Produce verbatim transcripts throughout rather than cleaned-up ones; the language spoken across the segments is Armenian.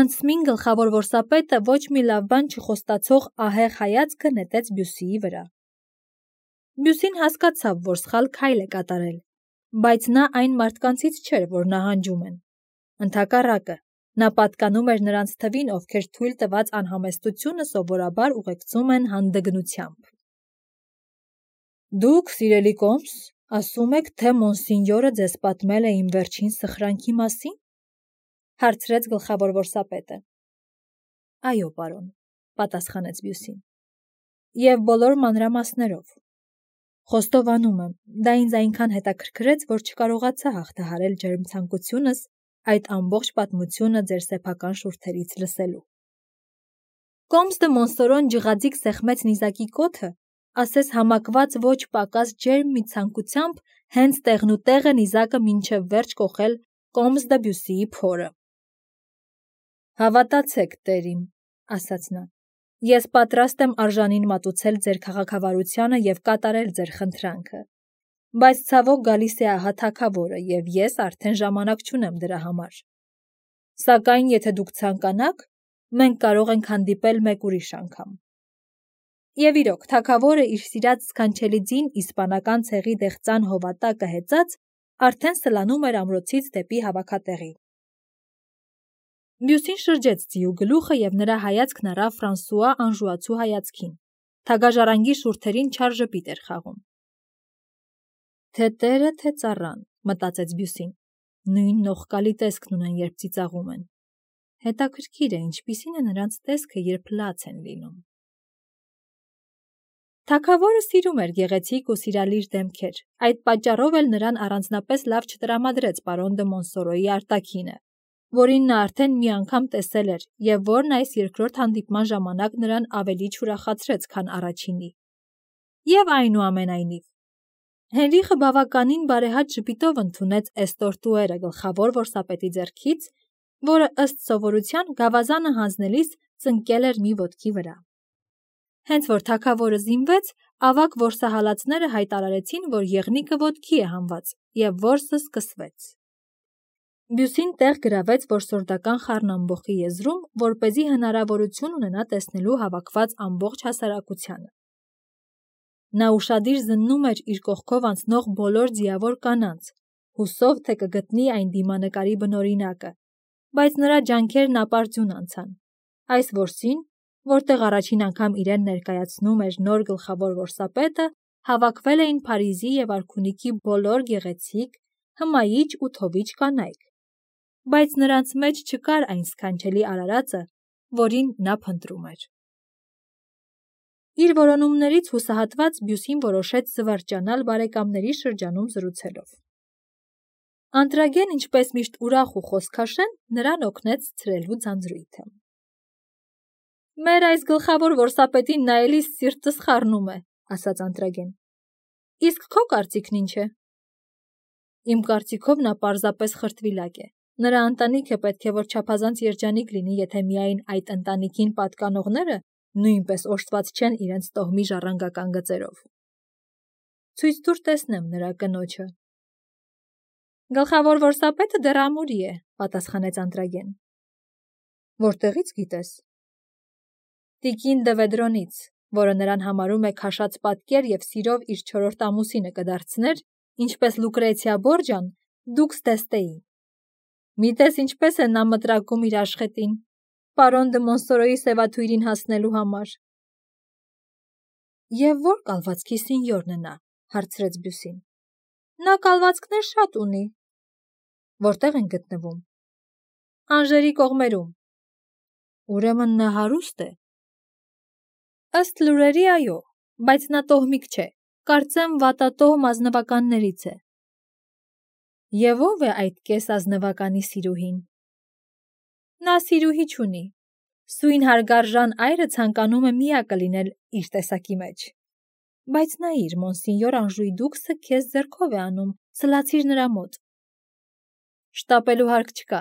Անցմին գլխավոր որսապետը ոչ մի լավ բան չխոստացող ահեղ հայացքը նետեց Բյուսիի վրա։ Բյուսին հասկացավ, որ սխալ քայլ է կատարել, բայց նա այն մարդկանցից չէր, որ նահանջում են։ Ընդհակառակը, նա պատկանում էր նրանց թվին, ովքեր թույլ տված անհամեստությունը սովորաբար ուղեկցում են հանդգնությամբ։ Դուք, սիրելի Կոմս, ասում եք, թե մոնսինյորը ձեզ պատմել է իմ վերջին սխրանքի մասին, հարցրեց գլխավոր որսապետը։ Այո, պարոն, պատասխանեց Բյուսին։ Եվ բոլոր մանրամասներով։ Խոստովանում եմ, դա ինձ այնքան հետաքրքրեց, որ չկարողացա հաղթահարել ջերմցանկությունս այդ ամբողջ պատմությունը ձեր սեփական շուրթերից լսելու։ Կոմս դը Մոնսորոն ջղաձիգ սեղմեց նիզակի կոթը, ասես համակված ոչ պակաս ջերմ մի ցանկությամբ հենց տեղնուտեղը նիզակը մինչև վերջ կոխել Կոմս դը Բյուսիի փորը։ Հավատացեք, տերիմ, ասաց նա, ես պատրաստ եմ արժանին մատուցել ձեր քաղաքավարությանը և կատարել ձեր խնդրանքը, բայց ցավոք գալիս է ահա թագավորը, և ես արդեն ժամանակ չունեմ դրա համար։ Սակայն եթե դուք ցանկանաք, մենք կարող ենք հանդիպել մեկ ուրիշ անգամ։ Եվ իրոք, թագավորը իր սիրած սքանչելի ձին իսպանական ցեղի դեղծան հովատակը հեծած արդեն սլանում էր ամրոցից դեպի հավաքատեղի։ Բյուսին շրջեց ձիու գլուխը և նրա հայացքն առավ Ֆրանսուଆ անժուացու հայացքին։ Թագաժառանգի շուրթերին չար ժպիտ էր խաղում։ Թե տերը, թե ծառան, մտածեց Բյուսին, նույն նողկալի տեսքն ունեն, երբ ծիծաղում են։ Հետաքրքիր է, ինչպիսին է նրանց տեսքը, երբ լաց են լինում։ Թագավորը սիրում էր գեղեցիկ ու սիրալիր դեմքեր, այդ պատճառով էլ նրան առանձնապես լավ չտրամադրեց պարոն դը Մոնսորոյի արտաքինը, որին նա արդեն մի անգամ տեսել էր և որն այս երկրորդ հանդիպման ժամանակ նրան ավելի չուրախացրեց, քան առաջինի։ Եվ այնուամենայնիվ, Հենրիխը բավականին բարեհաճ ժպիտով ընդունեց էստորտուերը գլխավոր որսապետի ձեռքից, որը ըստ սովորության գավազանը հանձնելիս ծնկել էր մի ոտքի վրա։ Հենց որ թագավորը զինվեց, ավագ որսահալածները հայտարարեցին, որ եղնիկը ոտքի է հանված, և որսը սկսվեց։ Բյուսին տեղ գրավեց որսորդական խառնամբոխի եզրում, որպեսզի հնարավորություն ունենա տեսնելու հավաքված ամբողջ հասարակությանը։ Նա ուշադիր զննում էր իր կողքով անցնող բոլոր ձիավոր կանանց, հուսով թե կգտնի այն դիմանկարի բնօրինակը, բայց նրա ջանքերն ապարդյուն անցան։ Այս որսին, որտեղ առաջին անգամ իրեն ներկայացնում էր նոր գլխավոր որսապետը, հավաքվել էին Փարիզի և արքունիքի բոլոր գեղեցիկ, հմայիչ ու թովիչ կանայք, բայց նրանց մեջ չկար այն սքանչելի արարածը, որին նա փնտրում էր։ Իր որոնումներից հուսահատված Բյուսին որոշեց զվարճանալ բարեկամների շրջանում զրուցելով։ Անտրագեն, ինչպես միշտ ուրախ ու խոսքաշեն, նրան օգնեց ցրելու ձանձրույթը։ Մեր այս գլխավոր որսապետին նայելիս սիրտս խառնում է, ասաց Անտրագեն։ Իսկ քո կարծիքն ինչ է։ Իմ կարծիքով նա պարզապես խրտվիլակ է։ Նրա ընտանիքը պետք է որ չափազանց երջանիկ լինի, եթե միայն այդ ընտանիքին պատկանողները նույնպես օժտված չեն իրենց տոհմի ժառանգական գծերով։ Ցույց տուր տեսնեմ նրա կնոջը։ Գլխավոր որսապետը դեռ ամուրի է, պատասխանեց Անտրագեն։ Որտեղից գիտես։ Տիկին Դվեդրոնից, որը նրան համարում է քաշած պատկեր և սիրով իր չորրորդ ամուսինը կդարձներ, ինչպես Լուկրեցիա Բորջան, դուքս Դեստեին։ Միտես ինչպես է նա մտրակում իր աշխատին, պարոն դը Մոնսորոյի սևաթույրին հասնելու համար։ Եվ ո՞ր կալվածքի սինյորն է նա, հարցրեց Բյուսին։ Նա կալվածքներ շատ ունի։ Որտեղ են գտնվում։ Անժերի կողմերում։ Ուրեմն նա հարուստ է։ Ըստ լուրերի, այո, բայց նա տոհմիկ չէ, կարծեմ վատատոհմ ազնվականներից է։ Եվ ո՞վ է այդ կես ազնվականի սիրուհին։ Նա սիրուհի չունի։ Սույն հարգարժան այրը ցանկանում է միակը լինել իր տեսակի մեջ։ Բայց նայիր, մոնսինյոր Անժուի դուքսը քեզ ձեռքով է անում, սլացիր նրա մոտ։ Շտապելու հարկ չկա։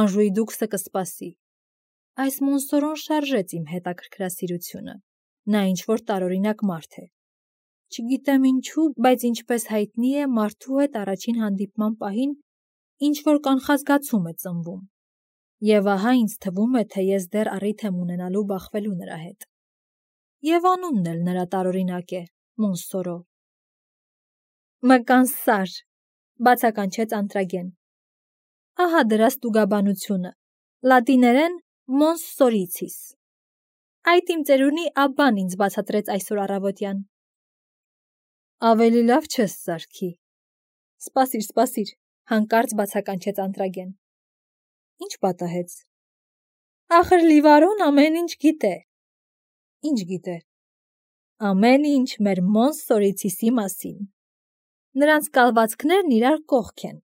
Անժուի դուքսը կսպասի։ Այս Մոնսորոն շարժեց իմ հետաքրքրասիրությունը։ Նա ինչ-որ տարօրինակ մարդ է։ Չգիտեմ ինչու, բայց ինչպես հայտնի է, մարդու հետ առաջին հանդիպման պահին ինչ-որ կանխազգացում է ծնվում։ Եվ ահա ինձ թվում է, թե ես դեռ առիթ եմ ունենալու բախվելու նրա հետ։ Եվ անունն էլ նրա տարօրինակ է՝ Մոնսորո։ Մկան սար, բացականչեց Անտրագեն։ Ահա դրա ստուգաբանությունը, լատիներեն Mons Soricis։ Այդ իմ ծերունի աբբան ինձ բացատրեց այսօր առավոտյան։ Ավելի լավ չես սարքի։ Սպասիր, սպասիր, հանկարծ բացականչեց Անտրագեն։ Ինչ պատահեց։ Ախր Լիվարոն ամեն ինչ գիտե։ Ինչ գիտե։ Ամեն ինչ մեր Mons Soricис-ի մասին։ Նրանց կալվածքներն իրար կողք են։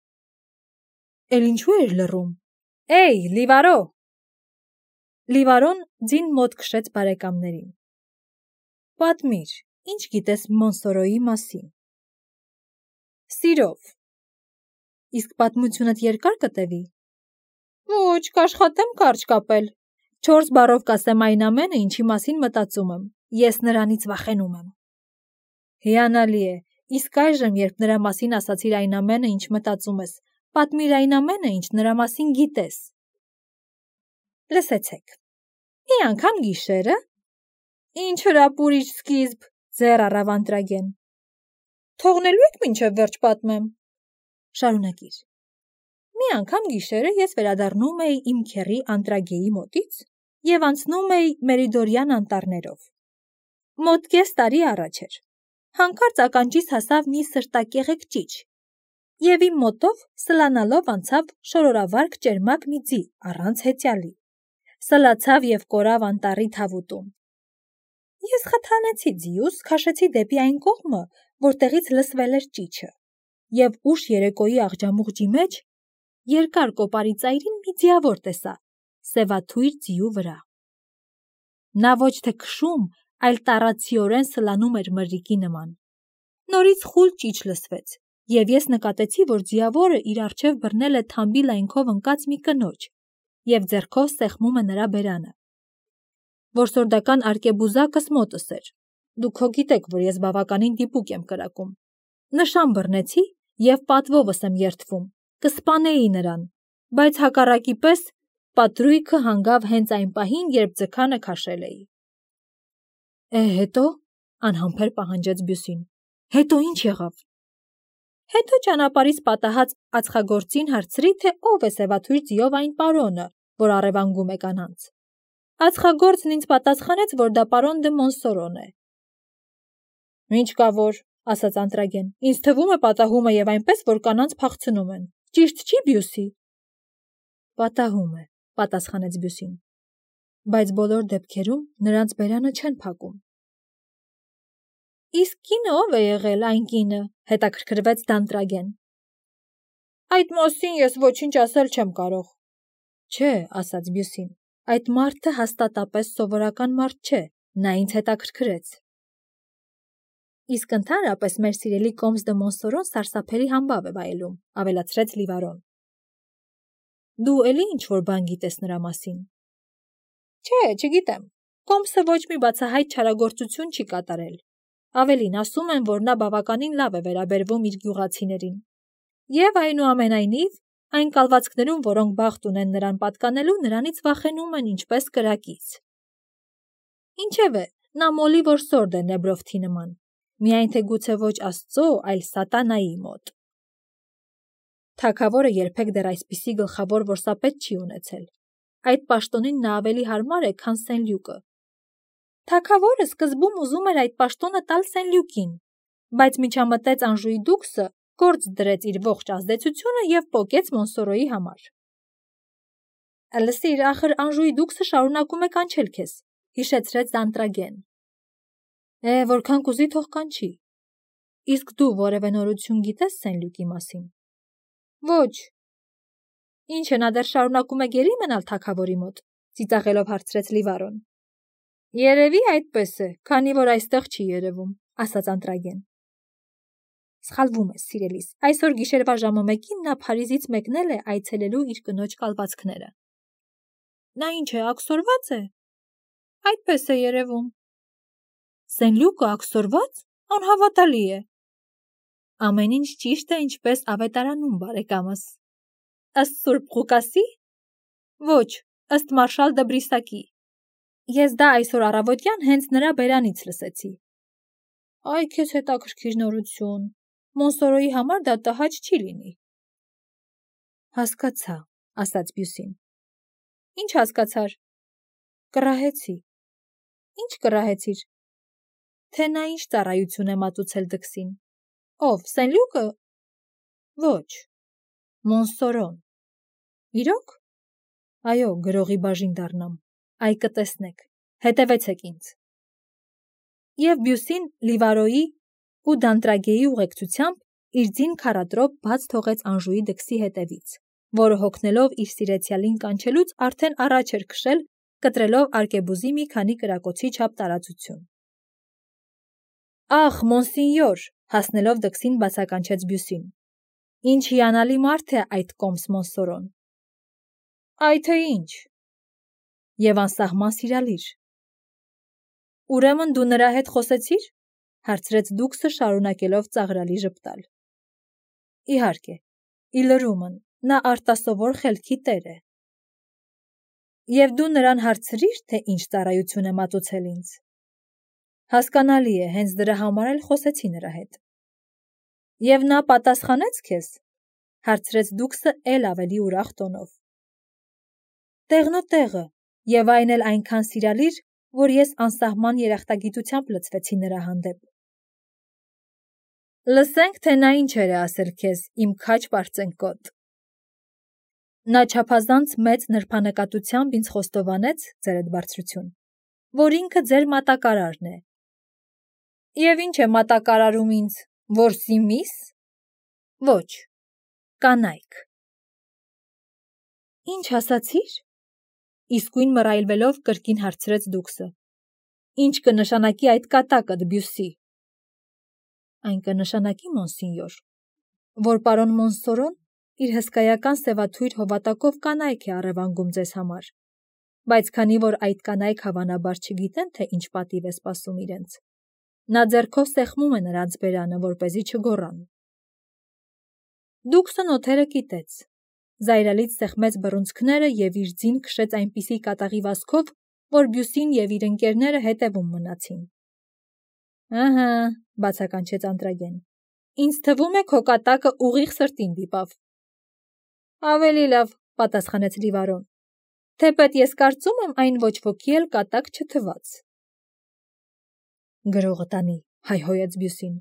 Էլ ինչու էր լռում։ Էյ, Լիվարո։ Լիվարոն ձին մոտ քշեց բարեկամներին։ Պատմիր, ինչ գիտես Մոնսորոյի մասին։ Սիրով։ Իսկ պատմությունդ երկար կտևի։ Ոչ, կաշխատեմ կարճ կապել։ Չորս բառով կասեմ այն ամենը, ինչի մասին մտածում եմ։ Ես նրանից վախենում եմ։ Հիանալի է, իսկ այժմ, երբ նրա մասին ասացիր այն ամենը, ինչ մտածում ես, պատմիր այն ամենը, ինչ նրա մասին գիտես։ Լսեցեք։ Մի անգամ գիշերը, ինչ հրապուրիչ սկիզբ, ձեռ առավ Անտրագեն։ Թողնելու եք մինչև վերջ պատմեմ։ Շարունակիր։ Մի անգամ գիշերը ես վերադառնում էի իմ քեռի Անտրագեի մոտից և անցնում էի Մերիդորյան անտառներով։ Մոտ կես տարի առաջ էր։ Հանկարծ ականջիս հասավ մի սրտակեղեկ ճիչ, և իմ մոտով սլանալով անցավ շորորավարք ճերմակ մի ձի առանց հեծյալի, սլացավ և կորավ անտառի թավուտում։ Ես խթանեցի ձիուս, քաշեցի դեպի այն կողմը, որտեղից լսվել էր ճիչը, և ուշ երեկոյի աղջամուղջի մեջ երկար կոպարի ծայրին մի ձիավոր տեսա, սևաթույր ձիու վրա։ Նա ոչ թե քշում, այլ տառացիորեն սլանում էր մրրիկի նման։ Նորից խուլ ճիչ լսվեց, և ես նկատեցի, որ ձիավորը իր առջև բռնել է թամբի լայնքով ընկած մի կնոջ և ձեռքով սեղմում է նրա բերանը։ Որսորդական արկեբուզակս մոտս էր։ Դուք հո գիտեք, որ ես բավականին դիպուկ եմ կրակում։ Նշան բռնեցի և պատվովս եմ երդվում, կսպանեի նրան, բայց հակառակի պես պատրույգը հանգավ հենց այն պահին, երբ ձգանը քաշել էի։ Է, հետո, անհամբեր պահանջեց Բյուսին։ Հետո ինչ եղավ։ Հետո ճանապարհից պատահած ածխագործին հարցրի, թե ով է սևաթույր ձիով այն պարոնը, որ առևանգում է կանանց։ Ածխագործն ինձ պատասխանեց, որ դա պարոն դը Մոնսորոն է։ Ինչ կա որ, ասաց Անտրագեն, ինձ թվում է պատահում է և այնպես, որ կանանց փախցնում են։ Ճիշտ չի, Բյուսի։ Պատահում է, պատասխանեց Բյուսին, բայց բոլոր դեպքերում նրանց բերանը չեն փակում։ Իսկ կինը ով է եղել այն կինը, հետաքրքրվեց Անտրագեն։ Այդ մասին ես ոչինչ ասել չեմ կարող։ Չէ, ասաց Բյուսին, այդ մարդը հաստատապես սովորական մարդ չէ, նա ինձ հետաքրքրեց։ Իսկ ընդհանրապես մեր սիրելի Կոմս դը Մոնսորոն սարսափելի համբավ է վայելում, ավելացրեց Լիվարոն։ Դու էլի ինչ-որ բան գիտես նրա մասին։ Չէ, չգիտեմ։ Կոմսը ոչ մի բացահայտ չարագործություն չի կատարել։ Ավելին, ասում են, որ նա բավականին լավ է վերաբերվում իր գյուղացիներին։ Եվ այնուամենայնիվ, այն կալվածքներում, որոնք բախտ ունեն նրան պատկանելու, նրանից վախենում են ինչպես կրակից։ Ինչևէ, նա մոլի որսորդ է Նեբրովթի նման, միայն թե գուցե ոչ Աստծո, այլ սատանայի մոտ։ Թագավորը երբեք դեռ այսպիսի գլխավոր որսապետ չի ունեցել։ Այդ պաշտոնին նա ավելի հարմար է, քան Սենլյուկը։ Թագավորը սկզբում ուզում էր այդ պաշտոնը տալ Սենլյուկին, բայց միջամտեց Անժուի դուքսը, գործ դրեց իր ողջ ազդեցությունը և պոկեց Մոնսորոյի համար։ Լսիր, ախր Անժուի դուքսը շարունակում է կանչել քեզ, հիշեցրեց Անտրագեն։ Է, որքան կուզի թող կանչի։ Իսկ դու որևէ նորություն գիտես Սենլյուկի մասին։ Ոչ։ Ինչ է, նա դեռ շարունակում է գերի մնալ թագավորի մոտ, ծիծաղելով հարցրեց Լիվարոն։ Երևի այդպես է, քանի որ այստեղ չի երևում, ասաց Անտրագեն։ Սխալվում ես, սիրելիս, այսօր գիշերվա ժամը մեկին նա Փարիզից մեկնել է այցելելու իր կնոջ կալվածքները։ Նա ինչ է, աքսորվա՞ծ է։ Այդպես է երևում։ Սենլյուկը աքսորվա՞ծ, անհավատալի է։ Ամեն ինչ ճիշտ է, ինչպես ավետարանում, բարեկամս։ Ըստ Սուրբ Ղուկասի։ Ոչ, ըստ մարշալ դը Բրիսակի։ Ես դա այսօր առավոտյան հենց նրա բերանից լսեցի։ Այ քեզ հետաքրքիր նորություն։ Մոնսորոյի համար դա տհաճ չի լինի։ Հասկացա, ասաց Բյուսին։ Ինչ հասկացար։ Կռահեցի։ Ինչ կռահեցիր։ Թե նա ինչ ծառայություն է մատուցել դքսին։ Ով, Սենլյուկը։ Ոչ։ Մոնսորոն։ Իրոք։ Այո, գրողի բաժին դառնամ։ Այ կտեսնեք, հետևեցեք ինձ։ Եվ Բյուսին Լիվարոյի ու Դանտրագեի ուղեկցությամբ իր ձին քառատրոպ բաց թողեց Անժուի դքսի հետևից, որը հոգնելով իր սիրեցյալին կանչելուց արդեն առաջ էր քշել, կտրելով արկեբուզի մի քանի կրակոցի չափ տարածություն։ Ախ, մոնսինյոր, հասնելով դքսին բացականչեց Բյուսին։ Ինչ հիանալի մարդ է այդ կոմս Մոնսորոն։ Այ թե ինչ։ Եվ անսահման սիրալիր։ Ուրեմն դու նրա հետ խոսեցիր, հարցրեց դուքսը շարունակելով ծաղրալի ժպտալ։ Իհարկե, իլրումն, նա արտասովոր խելքի տեր է։ Եվ դու նրան հարցրիր, թե ինչ ծառայություն է մատուցել ինձ։ Հասկանալի է, հենց դրա համար էլ խոսեցի նրա հետ։ Եվ նա պատասխանեց քեզ, հարցրեց դուքսը էլ ավելի ուրախ տոնով։ Տեղնուտեղը, եւ այն էլ այնքան սիրալիր, որ ես անսահման երախտագիտությամբ լցվեցի նրա հանդեպ։ Լսենք, թե նա ինչեր է ասել քեզ, իմ քաչ պարծենկոտ։ Նա չափազանց մեծ նրբանկատությամբ ինձ խոստովանեց, ձերդ բարձրություն, որ ինքը ձեր մատակարարն է։ Եվ ինչ է մատակարարում ինձ, որսի միս։ Ոչ, կանայք։ Ինչ ասացիր։ Իսկույն մռայլվելով կրկին հարցրեց դուքսը։ Ինչ կնշանակի այդ կատակը Բյուսի։ Այն կնշանակի, մոնսինյոր, որ պարոն Մոնսորոն իր հսկայական սևաթույր հովատակով կանայք է առևանգում ձեզ համար, բայց քանի որ այդ կանայք հավանաբար չգիտեն, թե ինչ պատիվ է սպասում իրենց, նա ձեռքով սեղմում է նրանց բերանը, որպեսզի չգոռան։ Դուքսն օթերը կիտեց, զայրալից սեղմեց բռունցքները և իր ձին քշեց այնպիսի կատաղի վազքով, որ Բյուսին և իր ընկերները հետևում մնացին։ Ահա, բացականչեց Անտրագեն, ինձ թվում է քո կատակը ուղիղ սրտին դիպավ։ Ավելի լավ, պատասխանեց Լիվարոն, թեպետ ես կարծում եմ այն ոչ ոքի էլ կատակ չթված։ Գրողը տանի, հայհոյեց Բյուսին,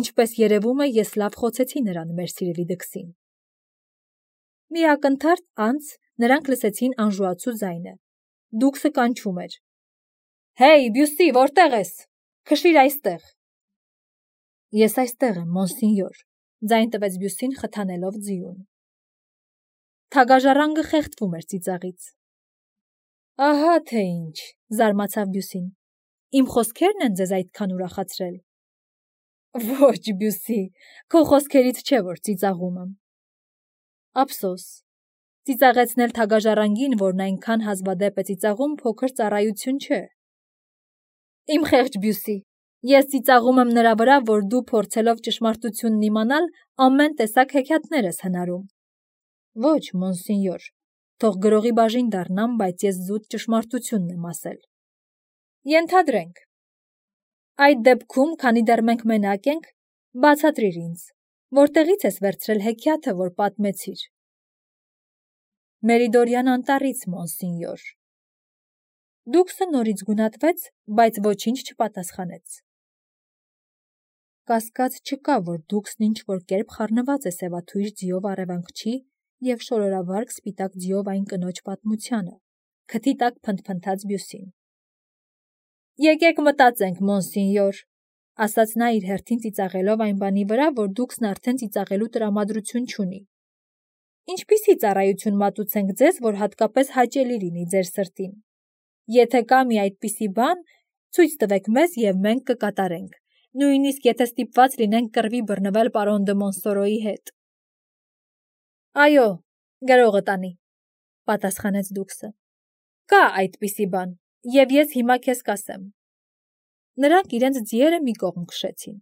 ինչպես երևում է ես լավ խոցեցի նրան մեր սիրելի դքսին։ Մի ակնթարթ անց նրանք լսեցին անժուացու ձայնը։ Դուքսը կանչում էր. Հեյ, Բյուսի, որտեղ ես։ Քշիր այստեղ։ Ես այստեղ եմ, մոնսինյոր, ձայն տվեց Բյուսին խթանելով ձիուն։ Թագաժառանգը խեղդվում էր ծիծաղից։ Ահա թե ինչ, զարմացավ Բյուսին։ Իմ խոսքերն են ձեզ այդքան ուրախացրել։ Ոչ, Բյուսի, քո խոսքերից չէ, որ ծիծաղում եմ։ Ափսոս, ծիծաղեցնել թագաժառանգին, որն այնքան հազվադեպ է ծիծաղում, փոքր ծառայություն չէ։ Իմ խեղճ Բյուսի, ես ծիծաղում եմ նրա վրա, որ դու փորձելով ճշմարտությունն իմանալ, ամեն տեսակ հեքիաթներ ես հնարում։ Ոչ, մոնսինյոր, թող գրողի բաժին դառնամ, բայց ես զուտ ճշմարտությունն եմ ասել։ Ենթադրենք։ Այդ դեպքում, քանի դեռ մենք մենակ ենք, բացատրիր ինձ, որտեղից ես վերցրել հեքիաթը, որ պատմեցիր։ Մերիդորյան անտառից, մոնսինյոր։ Դուքսը նորից գունատվեց, բայց ոչինչ չպատասխանեց։ Կասկած չկա, որ դուքսն ինչ-որ կերպ խառնված է սևաթույր ձիով առևանգչի և շորորավարկ սպիտակ ձիով այն կնոջ պատմությանը, քթի տակ փնթփնթաց Բյուսին։ Եկեք մտածենք, մոնսինյոր, ասաց նա իր հերթին ծիծաղելով այն բանի վրա, որ դուքսն արդեն ծիծաղելու տրամադրություն չունի։ Ինչպիսի ծառայություն մատուցենք ձեզ, որ հատկապես հաճելի լինի ձեր սրտին։ Եթե կա մի այդպիսի բան, ցույց տվեք մեզ և մենք կկատարենք, նույնիսկ եթե ստիպված լինենք կռվի բռնվել պարոն դը Մոնսորոյի հետ։ Այո, գրողը տանի, պատասխանեց դուքսը։ Կա այդպիսի բան, և ես հիմա քեզ կասեմ։ Նրանք իրենց ձիերը մի կողմ քշեցին։